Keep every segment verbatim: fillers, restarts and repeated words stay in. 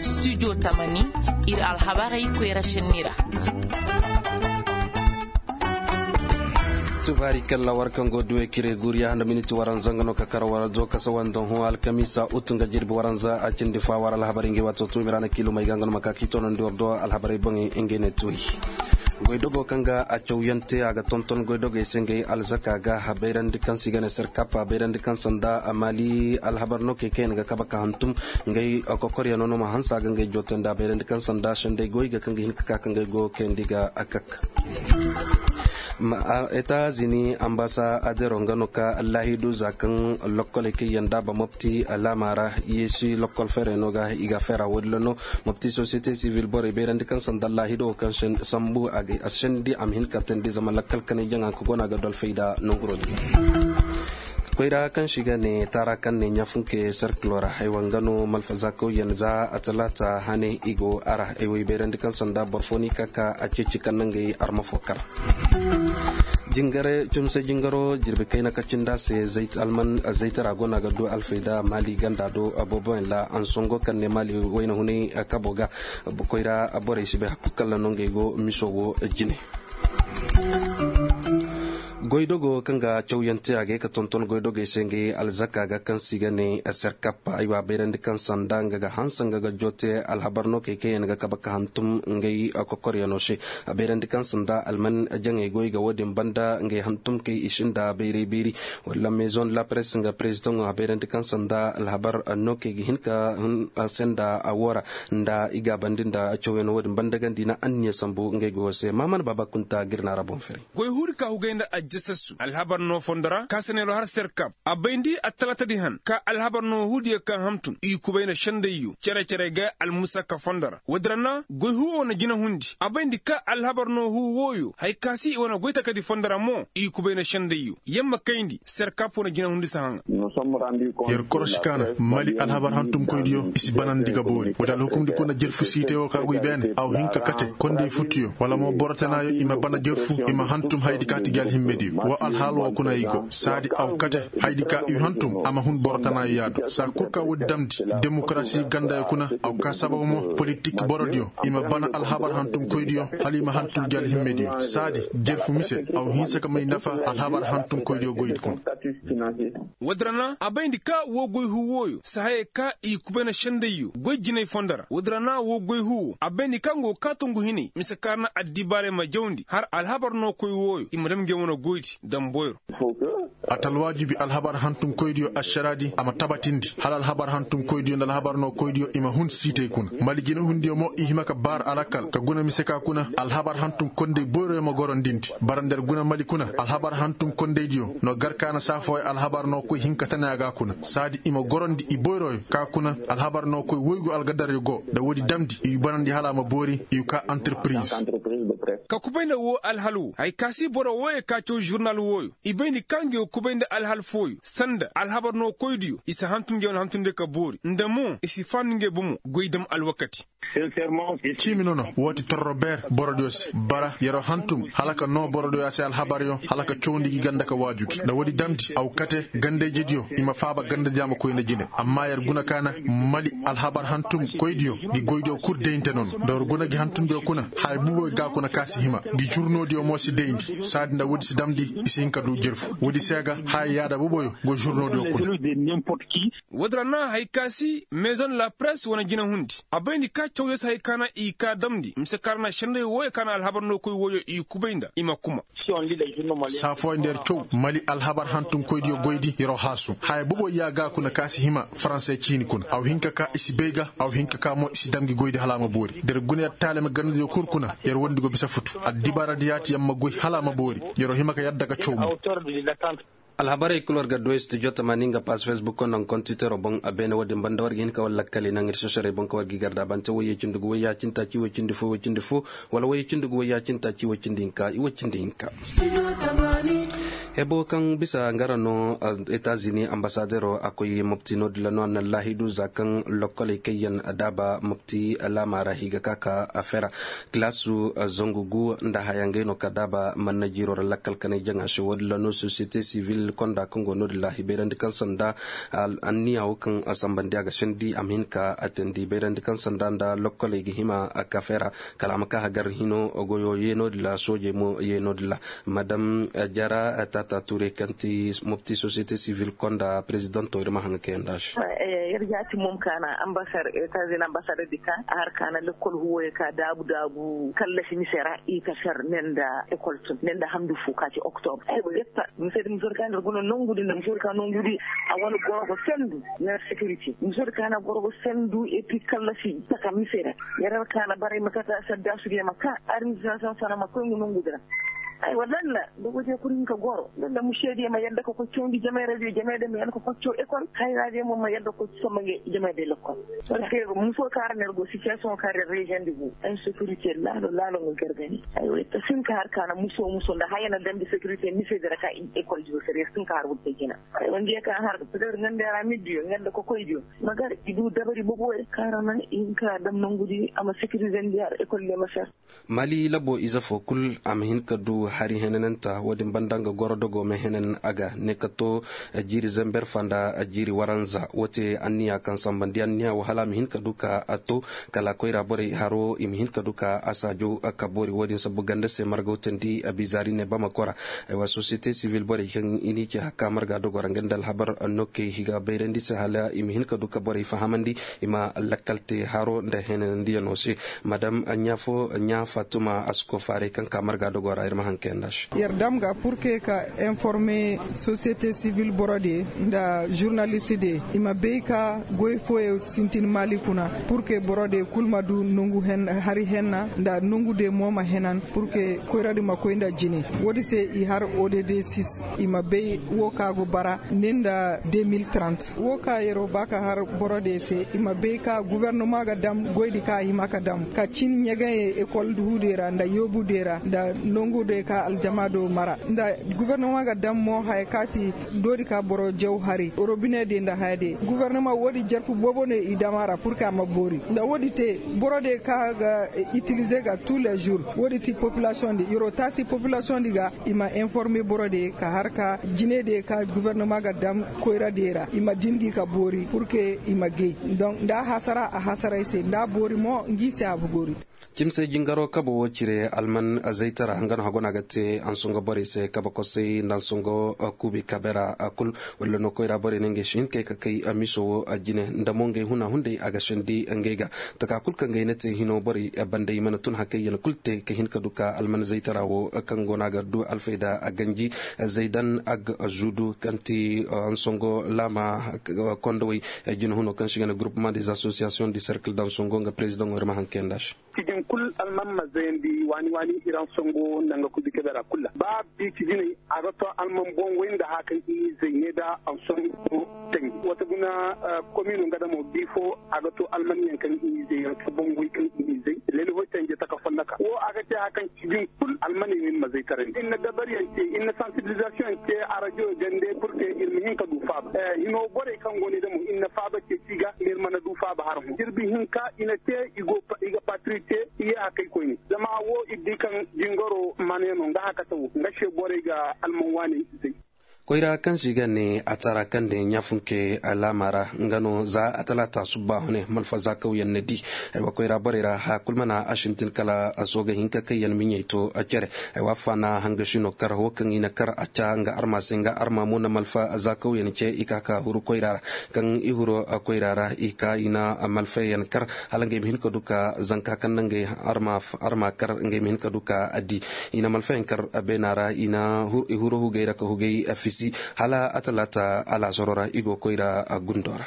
Studio tamani, ir alhabarey koyra šenni ra. Tufaari kalla war kaŋ go duwe kire guriya nda miniti waranza nga no ka kar war do kasa wanda hõ alkamiisa ut nga jirbi waranza a cindi fa war alhabarey ngi wato tuumi ra na kiilumey ga nga no ma ka k'i tonandi war do alhabarey boŋey ngey ne tuuri. Goydogo kaŋ ga a cawyaŋ te a ga tonton goydogey se ngey alzaka ga a bayrandi kaŋ se i ga ne serkap a bayrandi kaŋ sanda a maali alhabar no kay kaŋ yaŋ ga kaba ka hantum ngey kokoryaŋo no ma hanse a ga ngey joote nda a bayrandi kaŋ sanda sendey goy ga kaŋ ga hin ka ka kaŋ ngey go kayandi ga a kak. Etazini ambasa adero nga no ka laahidu za kaŋ lokkoley kaŋ yaŋ da ba mopti laama ra yeesi lokkol feerey no ga i ga a feera woodin ra no. Mopti sosiyete sivil borey bayrandi kaŋ sanda laahido kaŋ sambu a sendi a ma hin ka teendi zama lakkal kanay jaŋa ka go no a ga du alfayda nonguro din. Koyra kaŋ se i ga ne taara kaŋ ne ɲaafunke serkilo ra haywa nga no malfazaakaw yaŋ za a talaata hane i go a ra ay wo i bayrandi kaŋ sanda boro fo no i ka ka a ceeci kaŋ na ngey arma fo kar. Jingare cumse jingaro jirbi kayna ka cindi a se alman zaytara go no a ga du alfayda maali ganda do booboyaŋ ra ansongo kaŋ ne maali wayna hunay kabo ga. Koyra borey si bay hakku kalla no ngey go miso wo jine. Goydogo kaŋ ga cawyaŋ te a ga ye ka tonton goydogey se ngey alzaka ga kaŋ se i ga ne serkap aywa bayrandi kaŋ sanda nga ga hanse nga ga joote alhabar no kay kaŋ yaŋ ga kaba ka hantum ngey kokoryaŋo se. A bayrandi kaŋ sanda alman jaŋey goy ga wo-din banda ngey hantum kay i sinda bayray beeri. Wala maison de la presse nga président a bayrandi kaŋ sanda alhabar no kay ga hin ka senda a wo ra nda i gaabandi nda cawyaŋo wo-din banda gandi na anniya sambu ngey goyo se maamana baaba kunta ga ir na ra boŋ fere. Goy huudi ka hugay nda aljasassu alhabar no fondo ra ka sanayro har serkab a bayndi attalaatadi han ka alhabar no huudiyo kaŋ hamtun i kubay nda sendayyo cere-cere ga almusaka fondo ra woodi ra na goy huu wane jinahundi a bayndi ka alhabar no huu wooyo haya ka si i wane goy takadi fondo ra mo i kubay nda sendayyo yer ma kayndi serkab wane jinahundi si haŋa. Yer korosi ka na mali alhabar hantumkoydiyo i si banandi ga boori woodi alhukumdi kuna jerfu siitey woo ka goy beene a wa hin ka kate kondey futuyo wala mo boro tanaayo i ma bana jerfu i ma hantum hayadi ka ti gi alhimmediyo woo alhaal woo kuna i go saadi a wa kate hayadi ka i hantum a ma hun boro tanaayo yaadu saa kul ka woodi damndi demokarasi gandayo kuna a wa ka sabab mo politik borodiyo i ma bana alhabar hantumkoydiyo hala i ma hantum gi alhimmediyo saadi jerfu mise a wa hinsa ka may nafa alhabar hantumkoydiyo goydi kuna. Woodi ra na a bayndi ka woo goy huu wooyo si hayey ka i kubay na sendayyo goy jinay fondo ra woodi ra na woo goy huu woo a bayndi ka nga woo kaatungu hinay mise kaŋ ra na addibaarey ma jawndi har alhabar no koy wooyo i ma dam ngey wane goydi damboyro. A ta alwaajibi alhabar hantumkoydiyo ašaraadi a ma tabatindi hala alhabar hantumkoydiyo nda alhabar no koydiyo i ma hun siitey kuna mali jinahundiyo mo i hima ka baar alakal ka guna mise ka kuna alhabar hantum kondey boyroyo ma gorondindi bara nda yer guna mali kuna alhabar hantum kondeydiyo no gar ka na saa fooyo alhabar no koy hin ka tana a ga kuna saadi i ma gorondi i boyroyo ka kuna alhabar no koy woygu algadaryo go nda woodi damndi i wi banandi hala a ma boori i wi ka antarpiriz. Ka kubay nda woo alhal woo haya ka si boro wooyo ka caw žurnal wooyo i bay ni ka ngi woo kubay nda alhal fooyo sanda alhabar no koydiyo i si hantum ngi wane hantumdiyo ka boori nda mo i si faandu ngi bomo goy dam alwakati. Ciimi nono woo ti torro beer borodiyo se bara yer'o hantum hala ka noo borodiyo a se alhabaryo hala ka cawndi gi ganda ka waaju gi nda woodi damndi a wa kate gandayjediyo i ma faaba gandadiyo a ma koy nda jine amma yer guna ka na mali alhabar hantum koydiyo gi goydiyo kul dayinte nono nda war guna gi hantumdiyo kuna haya buboyo ga kuna ka si hima gi žurnoodiyo mo si dayndi saadi nda woodi si damndi i si hin ka duu jerfu woodi se ga haya yaada buboyo go žurnoodiyo kuna. Woodi ra na haya ka si maison de la presse wane jinahundi a bayndi ka cawyo si haya ka na i ka damndi mise ka ra na senday wooyo ka na alhabar no koy wooyo i kubay nda i ma kuma. Saa fooyaŋ nda yer caw mali alhabar hantumkoydiyo goydi yer'o haasu haya boboy ya ga kuna ka si hima faranse ciini kuna a wa hin ka ka i si bay ga a wa hin ka ka mo i si dam ngi goydi hala a ma boori nda yer guna yer taalima gandadiyo kul kuna yer wondi go bisa futu addibaaradi yaati yer ma goy hala a ma boori yer'o hima ka yadda ga caw mo. Alhabarey kul war ga du studio tamaani nga paas facebook nda nga kontitero boŋ a beene wo-din banda war ga hin ka war lakkali naŋ ir sosorey boŋ ka war ga i garda bante woy yee cindi gu woy yaacinta ci woy cindi fo woy cindi fo wala woy yee cindi gu woy yaacinta ci woy cindi hinka i woy cindi hinka. Ebo kaŋ bisa nga ra no etazini ambasadero a koy mopti no- din ra no a na laahidu za kaŋ lokkoley kaŋ yaŋ daaba mopti laama ra i ga ka ka fera. Kilaasu zangu gu nda haya ngey no ka daaba manna jiiro ra lakkal kanay jaŋa se wo- din ra no sosiyete sivil konda kaŋ go no- din ra i bayrandi kaŋ sanda anniya wo kaŋ sambandi a ga sendi a ma hin ka attendi bayrandi kaŋ sanda nda lokkoley ga hima ka fera. Kala a ma ka hagar hino goyo ye no- din ra soojey mo ye no- din ra. Madam jara tata ture kaŋ ti mopti sosiyete sivil konda perezidanto ir ma haŋ ga kayanda se. Yer jaati mom kaana ambasar etazini ambasar di ka a har kaana lekkol huwoyo ka daabu daabu kallasi mise ra i ka ser ne nda ekol tun ne nda hamdu fu ka ci oktobre ay go yetta mise di musor ka nda guna nongu di nda musor ka nongu di a wane goro go sendu yer sekiriti musor ka na goro go sendu epi kallasi taka mise ra. Yer har kaana baray ma kata sadda su di ma ka administration sana ma koy ngu nongu di ra. Aywa lalla dogo te kul hin ka goro lalla mušediyo ma yadda ka koy cawndi jamay ra diyo jamay da ma yadda ka koy caw ekol hayra diyo mo ma yadda ka koy somma nge jamay da lekkol. Parce que muso kaara ner go situation kaara rezion di go insécurité laalo laalo nga gargani. Aywa ta sin ka har kaana muso muso nda haya na dambi sécurité mise dira ka ekol diyo sere sin ka har wurte jina. Aywa nge ka har peut-être ngande ra mi diyo ngande ko koy diyo magar idu dabari bobo kaara na in ka dam nangudi ama sécurité ndi har ekol le ma ser. Mali labo ize fo kul a ma hin ka du hari henananta wo- din banda nga goro dogo ma henan a ga ne ka to jiiri zember fa nda jiiri waranza wo te anniya kaŋ sambandi anniya wo hala a ma hin ka du ka a to kala koyra borey haro i ma hin ka du ka a saajo ka boori wo- din sabbu ganda se marga wutandi a bizaari ne bamako ra. Aywa sosiyete sivil borey kaŋ i n'i ce hakka marga dogo ra nga nda alhabar nokey i ga bayrandi se hala i ma hin ka du ka borey fahamandi i ma lakkal te haro nda henanandiyano se. Madam ɲa fo ɲa fatuma a si ko faaray kaŋ ka marga dogo ra ir ma haŋ kayanda se. Yer dam ga pur ke ka informe sosiyete sivil borodiyo nda žurnalistediyo i ma bay ka goy fooyo sintin maali kuna pur ke borodiyo kul ma du nongu hari henna nda nongudiyo mo ma henan pur ke koyradi ma koy nda jine. Woodi se i har odd sis i ma bay wo ka go bara ne nda deux mille trente wo ka yeroo ba ka har borodiyo se i ma bay ka gufornoma ga dam goydi ka a hima ka dam ka cin ɲagaŋey ekol huudiyo ra nda yoobudiyo ra nda nongudiyo ka aljamaado mara nda gufornoma ga dam mo haya ka ti doodi ka boro jaw hari robinediyo nda hayadiyo gufornoma woodi jarfu boobo no i dam a ra pur ka a ma boori nda woodi te borodiyo ka ga itilize ga tuu le žur woodi ti populasiyoŋ di yeroo taasi populasiyoŋ di ga i ma informe borodiyo ka har ka jinediyo ka gufornoma ga dam koyradiyo ra i ma din gi ka boori pur ke i ma gay. Donk nda a hasara a hasaray se nda a boori mo ngi se a boori. Cimse jingaro kabo wo cire alman zaytara nga no hagona ga te ansongo borey se kaba kosay nda ansongo kuubi kabera kul walla no koyra borey ne ngey si hin kay ka kay miso wo jine nda mo ngey huna hunday a ga sendi ngey ga taka kul kaŋ gay na te hino borey banda i mana tun hakay yana kul te ka hin ka du ka alman zaytara wo kaŋ go no a ga du alfayda a ganji zaydan ag zudu kaŋ ti ansongo laama kondowey jine huno kaŋ si ga ne groupement des associations du cercle dansongo nga président wo ir ma haŋ kayanda se. Cijin kul alman ma zayandi waani waani iran songo nda nga kubi kebera kul ra ba bi cijiney a ga to alman boŋ way nda haka i zay ne da ansongo tanji wata guna komino nga da mo bi fo a ga to alman yaŋ kaŋ i zay yaŋ ka boŋ way kaŋ i zay lele hoy tanji taka fonnaka wo a ga te haka kaŋ cijin kul almaney no ir ma zay tarandi ir na dabaryaŋ te ir na sansibilizasiyoŋ te a radio gande pur ke ir ma hin ka du faaba hino borey kaŋ go ne da mo ir na faaba te si ga ir mana du faaba har mo jirbi hinka i na te i ga patri te i ye hakay koyne zama wo ir di kaŋ jingaro mana yaŋ no nga hakata wo nga se borey ga alman waaney zay. Koyra kaŋ se i ga ne a tara kaŋ de ɲaafunke alaama ra nga no za a talaata subba hune malfa zaakawyaŋ na di. Aywa koyra borey ra haya kul mana a sintin kala a sooga hinka kaŋ yaŋ miɲey to cere. Aywa faana hangasino kar wo kaŋ i na kar a ca nga arma se nga arma mo na malfa zaakawyaŋ ce i ka ka huru koyra ra. Kaŋ i huro koyra ra i ka i na malfayaŋ kar hala ngey ma hin ka du ka zanka kaŋ na ngey arma kar ngey ma hin ka du ka addi. I na malfayaŋ kar beena ra i na i huro hugey ra ka hugey fisi hala a talaata alaasaro ra i go koyra gundo ra.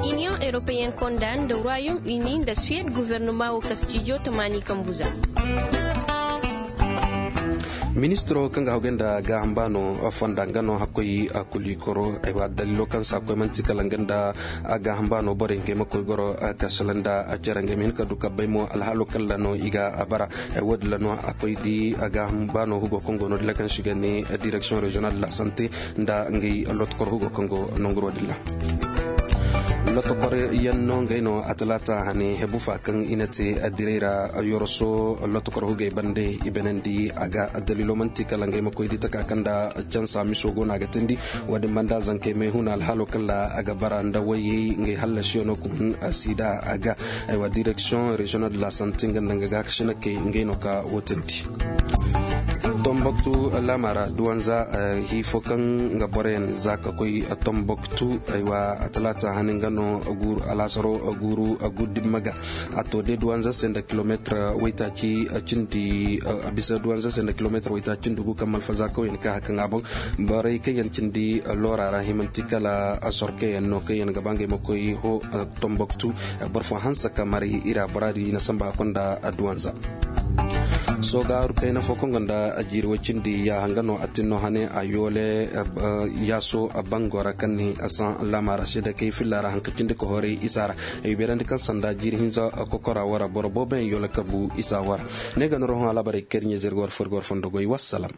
Iniyoŋ eropeyen konda nda royom uni nda suwed guvernoma wo ka stijo tamaani kambu za. Ministiro kaŋ ga hawgay nda gaaham baano fonda nga no hakkoy a kuli koro ay wa dalilo kaŋ sa koy manti kala nga nda a gaaham baano borey nga ay ma koy goro a kasala nda a cere nga ay ma hin ka du kabbay mo alhaalo kala no i ga a bara. Ay wo- din la no a koy di a gaaham baano hugo kaŋ go no din la kaŋ si ga ne direksiyoŋ reziyonal de la sante nda nga ay lotokor hugo kaŋ go nonguro din la. Lotokor yaŋ no nga ay no a talaata hane hebu fa kaŋ i na te a diray ra. Yoroso lotokor hugo ay bande i benandi a ga dalilo manti kala nga ay ma koy di taka kaŋ nda cansa miso go no a ga tindi. Wo- din banda zankey may huna alhaalo kala a ga bara nda wayey nga ay hallasiyo no kun sida a ga. Ay wa direksiyoŋ reziyonal de la sante nga nda nga ga kasinakey nga ay no ka wo tindi. Tomboktu laama ra duwanza hiifo kaŋ nga boroyaŋ za ka koy tomboktu ay wa a talaata hani nga no guuru alaasaro guuru guddimma ga. A to de duwanza se nda kilomeetir waytaaci cindi a bisa duwanza se nda kilomeetir waytaaci cindi gu kaŋ malfaza kawyaŋ ka haka ŋaaboŋ. Borey kaŋ yaŋ cindi loora ra himanti kala sorkeyaŋ no kaŋ yaŋ ga ba ngey ma koy ho tomboktu. Boro fo hanse ka mari ira bora di i na samba a konda adduwanza. Soogaaru kayna fo kaŋ gonda a jiiri way cindi yaaha nga no a tin no hane a yoole yaaso a bango ra kaŋ ni a saŋ laama ra se da kay filla ra hanka cindi ka horay isa ra. Ay beerandi kaŋ sanda jiiri hinza kokora wara boro boobo yaŋ yoole kabu isa wara. Ne ga no rohon alaabarey kay da ɲeezey ga war fo ir ga war fondo goy wassalam.